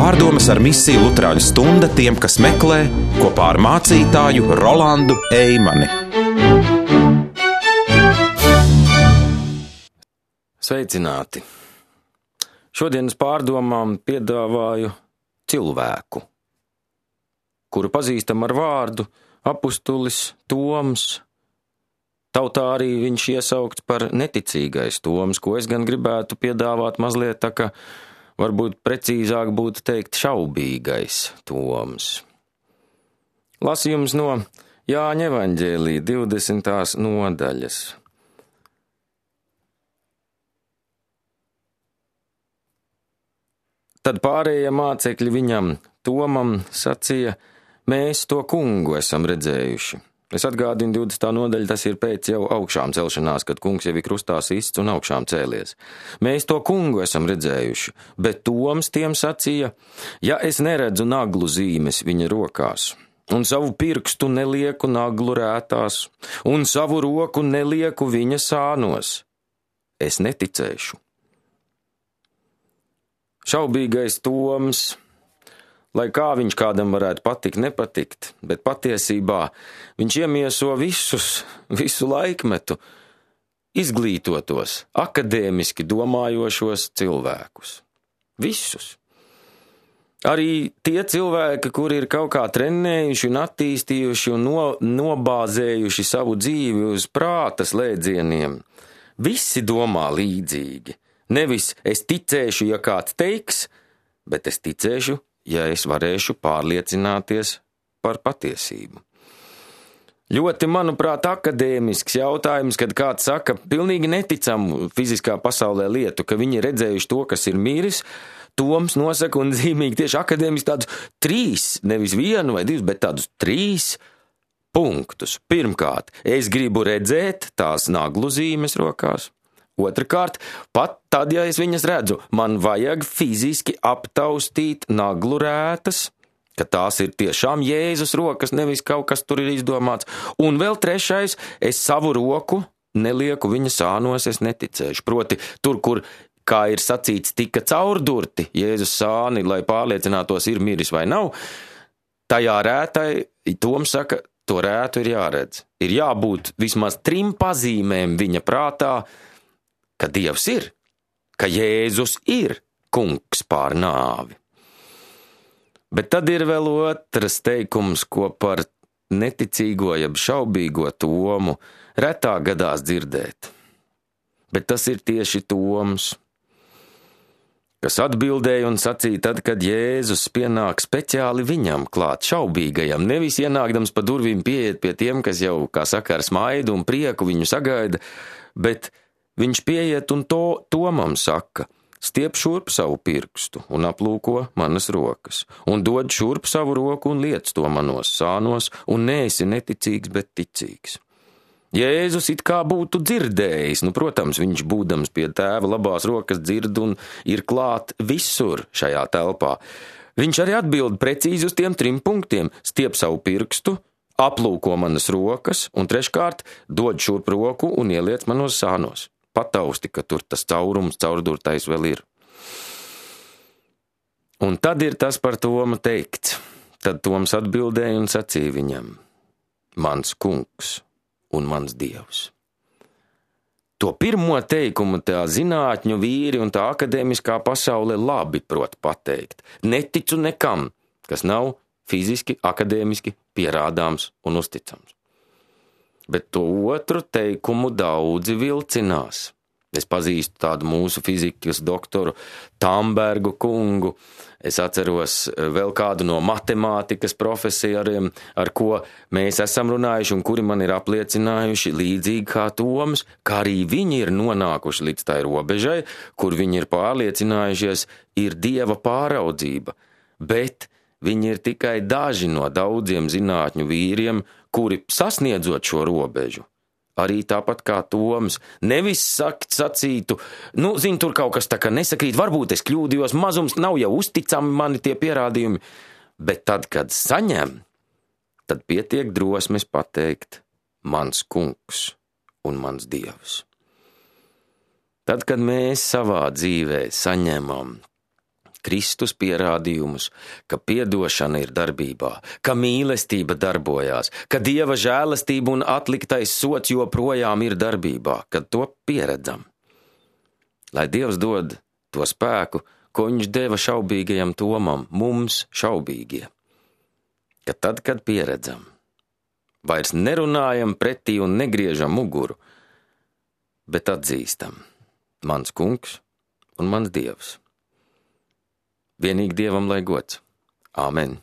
Pārdomas ar misiju Luterāņu stunda tiem, kas meklē, kopā ar mācītāju Rolandu Eimani. Sveicināti! Šodienas pārdomām piedāvāju cilvēku, kuru pazīstam ar vārdu apustulis Toms. Tautā arī viņš iesaukts par neticīgais Toms, ko es gan gribētu piedāvāt mazliet tā, ka varbūt precīzāk būtu teikt šaubīgais Toms. Lasījums no Jāņa evaņģēlija 20. nodaļas. Tad pārējie mācekļi viņam, Tomam, sacīja: mēs to kungu esam redzējuši. Es atgādinu 20. nodaļa, tas ir pēc jau augšām celšanās, kad kungs jau ir krustā sists un augšām cēlies. Mēs to kungu esam redzējuši, bet Toms tiem sacīja: ja es neredzu naglu zīmes viņa rokās, un savu pirkstu nelieku naglu rētās, un savu roku nelieku viņa sānos, es neticēšu. Šaubīgais Toms, lai kā viņš kādam varētu patikt, nepatikt, bet patiesībā viņš iemieso visu laikmetu izglītotos, akadēmiski domājošos cilvēkus. Visus. Arī tie cilvēki, kuri ir kaut kā trenējuši un attīstījuši un nobāzējuši savu dzīvi uz prāta slēdzieniem, visi domā līdzīgi. Nevis es ticēšu, ja kāds teiks, bet es ticēšu, ja es varēšu pārliecināties par patiesību. Ļoti, manuprāt, akadēmisks jautājums, kad kāds saka pilnīgi neticamu fiziskā pasaulē lietu, ka viņi ir redzējuši to, kas ir miris. Toms nosaka un zīmīgi tieši akadēmiski tādus 3, nevis 1 vai 2, bet tādus 3 punktus. Pirmkārt, es gribu redzēt tās naglu zīmes rokās. Otrakārt, pat tad, ja es viņas redzu, man vajag fiziski aptaustīt naglu rētas, ka tās ir tiešām Jēzus rokas, nevis kaut kas tur ir izdomāts. Un vēl trešais, es savu roku nelieku viņa sānos, es neticēšu. Proti, tur, kur, kā ir sacīts, tika caurdurti Jēzus sāni, lai pārliecinātos, ir miris vai nav, tajā rētai, Toms saka, to rētu ir jāredz. Ir jābūt vismaz 3 pazīmēm viņa prātā, ka Dievs ir, ka Jēzus ir kungs pār nāvi. Bet tad ir vēl otrs teikums, ko par neticīgo jeb šaubīgo Tomu retā gadās dzirdēt. Bet tas ir tieši Toms, kas atbildēja un sacīja tad, kad Jēzus pienāk speciāli viņam klāt šaubīgajam, nevis ienākdams pa durvīm pieiet pie tiem, kas jau, kā saka, ar smaidu un prieku viņu sagaida, bet viņš pieiet un Tomam saka: stiep šurp savu pirkstu un aplūko manas rokas, un dod šurp savu roku un liec to manos sānos, un neesi neticīgs, bet ticīgs. Jēzus it kā būtu dzirdējis, protams, viņš būdams pie tēva labās rokas dzird un ir klāt visur šajā telpā. Viņš arī atbild precīzi uz tiem 3 punktiem: stiep savu pirkstu, aplūko manas rokas, un treškārt dod šurp roku un ieliec manos sānos. Patausti, ka tur tas caurums, caurdurtais vēl ir. Un tad ir tas par Tomu teikts. Tad Toms atbildēja un sacīja viņam: mans kungs un mans Dievs. To pirmo teikumu tā zinātņu vīri un tā akadēmiskā pasaule labi prot pateikt. Neticu nekam, kas nav fiziski, akadēmiski pierādāms un uzticams. Bet to otru teikumu daudzi vilcinās. Es pazīstu tādu mūsu fizikas doktoru Tambergu kungu. Es atceros vēl kādu no matemātikas profesoriem, ar ko mēs esam runājuši un kuri man ir apliecinājuši līdzīgi kā Toms, kā arī viņi ir nonākuši līdz tai robežai, kur viņi ir pārliecinājušies, ir Dieva pāraudzība. Bet viņi ir tikai daži no daudziem zinātņu vīriem, kuri sasniedzot šo robežu, arī tāpat kā Toms, nevis sacītu, tur kaut kas tā kā nesakrīt, varbūt es kļūdījos, mazums nav jau uzticami mani tie pierādījumi, bet tad, kad saņem, tad pietiek drosmes pateikt: mans kungs un mans Dievs. Tad, kad mēs savā dzīvē saņemam Kristus pierādījumus, ka piedošana ir darbībā, ka mīlestība darbojās, ka Dieva žēlastība un atliktais sots joprojām ir darbībā, kad to pieredzam. Lai Dievs dod to spēku, ko viņš deva šaubīgajam Tomam, mums šaubīgie. Ka tad, kad pieredzam, vairs nerunājam pretī un negriežam muguru, bet atzīstam: mans kungs un mans Dievs. Vienīgi Dievam lai gods. Āmen.